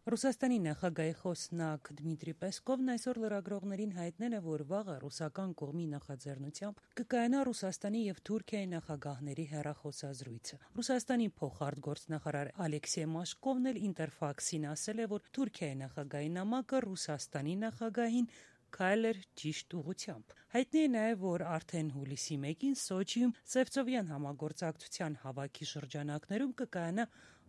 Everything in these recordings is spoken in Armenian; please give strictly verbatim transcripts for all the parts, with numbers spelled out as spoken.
Ռուսաստանի նախագահի խոսնակ Դմիտրի Պեսկովն այսօր լրագրողներին հայտնել է, որ վաղը ռուսական կողմի նախաձեռնությամբ կկայանա Ռուսաստանի եւ Թուրքիայի նախագահների հեռախոսազրույցը։ Ռուսաստանի փոխարտգործնախարար Ալեքսեյ Մաշկովն էլ Ինտերֆաքսին ասել է, որ Թուրքիայի նախագահի նամակը Ռուսաստանի նախագահին քայլ էր ճիշտ ուղղությամբ։ Հայտնի է նաև, որ արդեն հուլիսի մեկին Սոչիում Սևծովյան համագործակցության հավաքի շրջանակներում կկայանա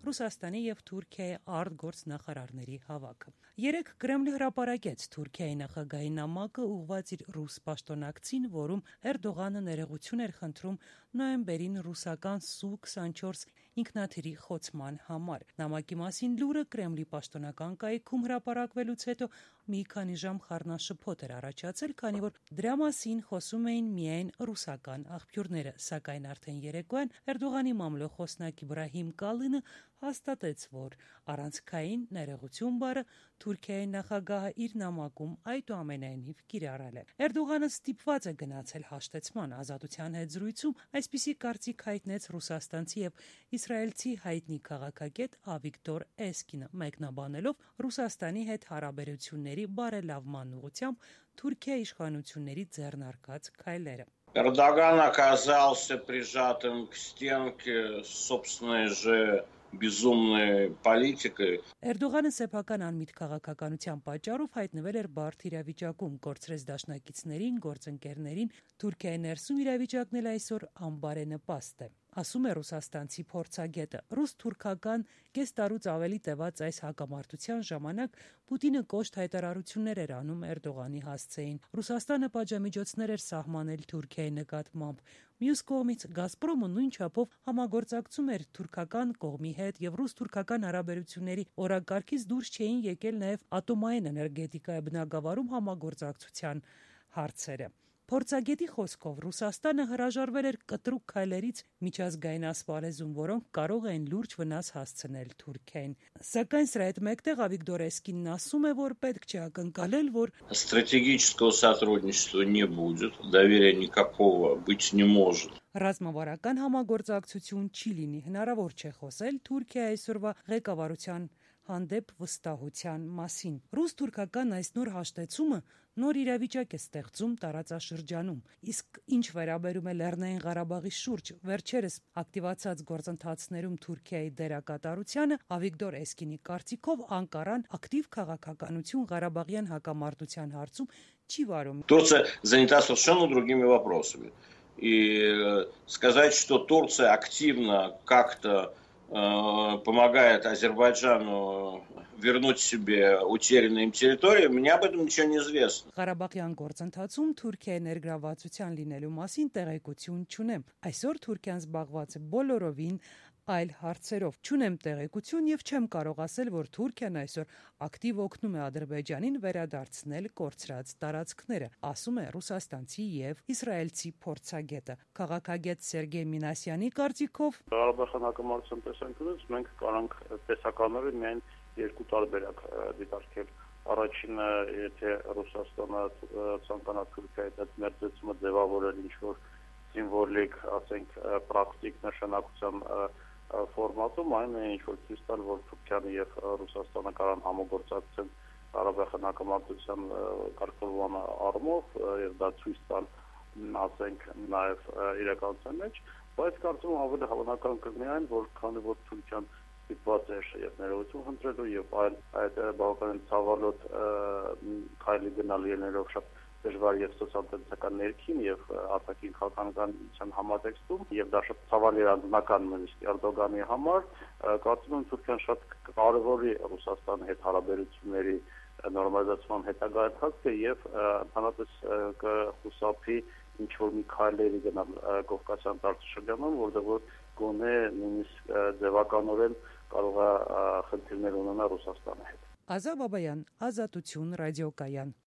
Ռուսաստանի եւ Թուրքիայի արտգործնախարարների հավաքը։ Երեկ Կրեմլը հրապարակեց Թուրքիայի նախագահի նամակը ուղղված իր ռուս պաշտոնակցին, որում Էրդողանը ներողություն էր խնդրում նոյեմբերին ռուսական Սու քսանչորս ինքնաթիռի խոցման համար։ Նամակի մասին լուրը Կրեմլի պաշտոնական կայքում հրապարակվելուց հետո մի քանի ժամ խառնաշփոթ էր առաջացել, քանի որ դրա մասին խոսում էին միայն ռուսական աղբյուրները, սակայն արդեն երեկոյան Էրդողանի մամլոյ-խոսնակ Իբրահիմ Կալինը հաստատեց, որ առանցքային ներողություն բառը Թուրքիայի նախագահը իր նամակում այդուամենայնիվ կիրառել է։ Էրդողանը ստիպված է գնացել հաշտեցման ազատության հետ զրույցում, այսպիսի կարծիք հայտնեց ռուսաստանցի եւ իսրայելցի հայտնի քաղաքագետ Ավիգդոր Էսկինը, մեկնաբանելով Ռուսաստանի հետ հարաբերությունների բարելավման ուղղությամբ Թուրքիայի իշխանությունների ձեռնարկած քայլերը։ Эрдоган оказался прижатым к стенке собственной же безумной политикой. Էրդողանը սեփական անմիտ քաղաքականության պատճառով հայտնվել էր բարդ իրավիճակում, կորցրեց դաշնակիցներին, գործընկերներին։ Թուրքիայի ներսում իրավիճակն էլ այսօր անբարենպաստ է, ասում է ռուսաստանցի փորձագետը։ Ռուս-թուրքական կես տարուց ավելի տևած այս հակամարտության ժամանակ Պուտինը կոշտ հայտարարություններ էր անում Էրդողանի հասցեին։ Ռուսաստանը պատժամիջոցներ էր սահմանել Թուրքիայի նկատմամբ։ Մյուս կողմից Գազպրոմը նույն չափով համագործակցում էր թուրքական կողմի հետ եւ ռուս-թուրքական հարաբերությունների օրակարգից դուրս չէին եկել նաեւ ատոմային էներգետիկայի բնագավառում համագործակցության հարցերը։ Փորձագետի խոսքով Ռուսաստանը հրաժարվել էր կտրուկ քայլերից միջազգային ասպարեզում, որոնք կարող էին լուրջ վնաս հասցնել Թուրքիային։ Սակայն սրա հետ մեկտեղ Ավիգդոր Էսկինն ասում է, որ պետք չէ ակնկալել, որ Стратегического сотрудничества не будет, доверия никакого быть не может. Ռազմավարական համագործակցություն չի լինի, հնարավոր չէ խոսել Թուրքիայի այսօրվա ղեկավարության հանդեպ վստահության մասին։ Ռուս-թուրքական այս նոր հաշտեցումը նոր իրավիճակ է ստեղծում տարածաշրջանում։ Իսկ ինչ վերաբերում է Լեռնային Ղարաբաղի շուրջ վերջերս ակտիվացած գործընթացներում Թուրքիայի դերակատարությանը, Ավիգդոր Էսկինի կարծիքով Անկարան ակտիվ քաղաքականություն Ղարաբաղյան հակամարտության հարցում չի վարում։ Турция занята совершенно другими вопросами. И сказать, что Турция активно как-то э, помогает Азербайджану вернуть себе утерянные им территории, мне об этом ничего не известно. Ղարաբաղյան գործընթացում Թուրքիայի ներգրավվածության լինելու մասին տեղեկություն չունեմ։ Այսօր Թուրքիան զբաղված է բոլորովին այլ հարցերով։ Չունեմ տեղեկություն եւ չեմ կարող ասել, որ Թուրքիան այսօր ակտիվ օգնում է Ադրբեջանին վերադարձնել կորցրած տարածքները, ասում է ռուսաստանցի եւ իսրայելցի փորձագետը։ Քաղաքագետ Սերգեյ Մինասյանի կարծիքով Ղարաբաղյան հակամարտության տեսանկյունից մենք կարանք տեսականորեն միայն երկու տարբերակ դիտարկել։ Առաջինը, եթե Ռուսաստանը ցանկանա Թուրքիայի հետ մերձեցումը ձևավորել ինչ-որ սիմվոլիկ, ասենք, պրակտիկ նշանակության ֆորմատում, այն է ինչ-որ ցույց տալ, որ Թուրքիան եւ Ռուսաստանը կարան համագործակցեն Ղարաբաղյան հակամարտության կարգավորման առումով եւ դա ցույց տալ, ասենք, նաեւ իրականության մեջ, բայց կարծում եմ ավելի հավանական կլինի այն, որ քանի որ Թուրքիան ստիպված էր եւ ներողություն խնդրելու եւ այլ այդ բավականին ցավալոտ քայլի գնալ ելներով շատ դժվար եւ սոցիալ-տնտեսական ներքին եւ արտաքին քաղաքականության համատեքստում եւ դա շատ ցավալի անձնական նույնիսկ Էրդողանի համար, կարծում եմ Թուրքիան շատ կարևորի Ռուսաստանի հետ հարաբերությունների նորմալիզացման հետագա ընթացքը եւ ընդհանրապես կխուսափի ինչ որ մի քայլերի գնալ Կովկասյան տարածաշրջանում, որտեղ որ գոնե նույնիսկ ձևականորեն կարող է խնդիրներ ունենալ Ռուսաստանի հետ։ Ազա Բաբայան, Ազատություն ռադիոկայան։